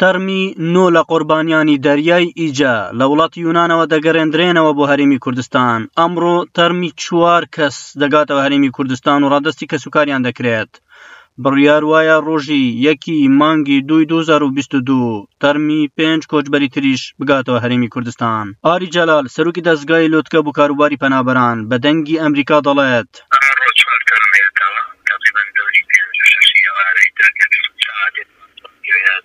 تەرمی نۆ لە قوربانیانی دەریای ئیجە لە وڵاتی یونانەوە دەگەرێندرێنەوە بۆ هەرێمی کوردستان. ئەمڕۆ تەرمی چوار کەس دەگاتەوە هەرێمی کوردستان و ڕادەستی کەسوکاریان دەکرێت. بڕیار وایە ڕۆژی یەکی مانگی دووی 2022 تەرمی پێنج کۆچبەری تریش بگاتەوە هەرێمی کوردستان. ئاری جەلال، سەرۆکی دەزگای لوتکە بۆ کاروباری پەنابەران، بە دەنگی ئەمریکا دەڵێت، ئەمڕۆ چوار تەرم هێتەوە، تەقریبەن دەوری پێنج و شەشی ئێوارەی درەنگە سەعاتێک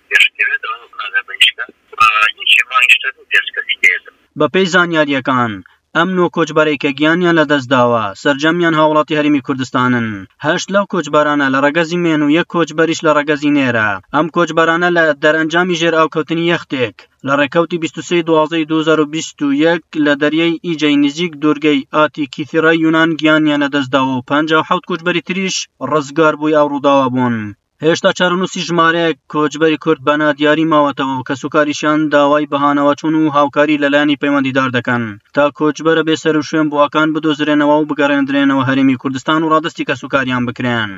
پێش کەوێت ئەو ئاگا بە هیچ کەس و یەکی مانگیش تەرمی پێنج کەسی دێتەوە. بەپێی زانیارییەکان، ئەم نۆ کۆچبەرەی کە گیانیان لەدەستداوە، سەرجەمیان هاوڵاتی هەرێمی کوردستانن. هەشت لەو کۆچبەرانە لە ڕەگەزی مێن و یەک کۆچبەریش لە ڕەگەزی نێرە. ئەم کۆچبەرانە لە دەرئەنجامی ژێرئاوکەوتنی یەختێک لە ڕێکەوتی 23 دوازدە 2021 لە دەریای ئیجەی نزیک دوورگەی ئاتیکیثیرای یونان گیانیان لەدەستداوە و 57 کۆچبەری تریش ڕزگاربووی ئەو ڕووداوە بوون. هێشتا چارەنووسی ژمارەیەک کۆچبەری کورد بە نادیاری ماوەتەوە و کەسوکاریشیان داوای بەهانەوەچوون و هاوکاری لەلایەنی پەیوەندیدار دەکەن تا کۆچبەرە بێسەروشوێن بووەکان بدۆزرێنەوە و بگەڕێندرێنەوە هەرێمی کوردستان و ڕادەستی کەسوکاریان بکرێن.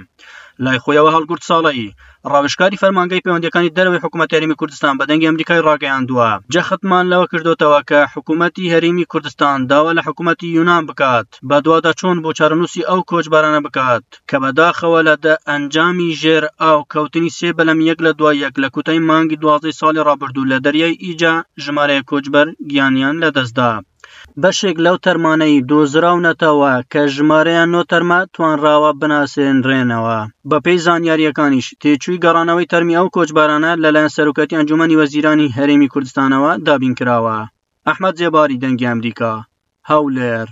لای خۆیەوە هەڵگورد ساڵەی، ڕاوێژکاری فەرمانگەی پەیوەندییەکانی دەرەوەی حکوومەتی هەرێمی کوردستان بە دەنگی ئەمریکای ڕاگەیاندووە، جەختمان لەوە کردۆتەوە کە حکوومەتی هەرێمی کوردستان داوا لە حکوومەتی یونان بکات بەدواداچوون بۆ چارەنووسی ئەو کۆچبەرانە بکات کە بەداخەوە لە دە ئەنجامی ژێر ئاو کەوتنی سێ بەلەم یەک لە دوای یەک لە کوتای مانگی دوازدەی ساڵی ڕابردوو لە دەریای ئیجە ژمارەیەک کۆچبەر گیانیان لەدەستدا. بەشێک لەو تەرمانەی دۆزراونەتەوە کە ژمارەیان نۆ تەرمە توانراوە بناسێنرێنەوە. بەپێی زانیارییەکانیش تێچووی گەڕانەوەی تەرمی ئەو کۆچبەرانە لەلایەن سەرۆکایەتی ئەنجوومەنی وەزیرانی هەرێمی کوردستانەوە دابینکراوە. ئەحمەد زێباری، دەنگی ئەمریکا، هەولێر.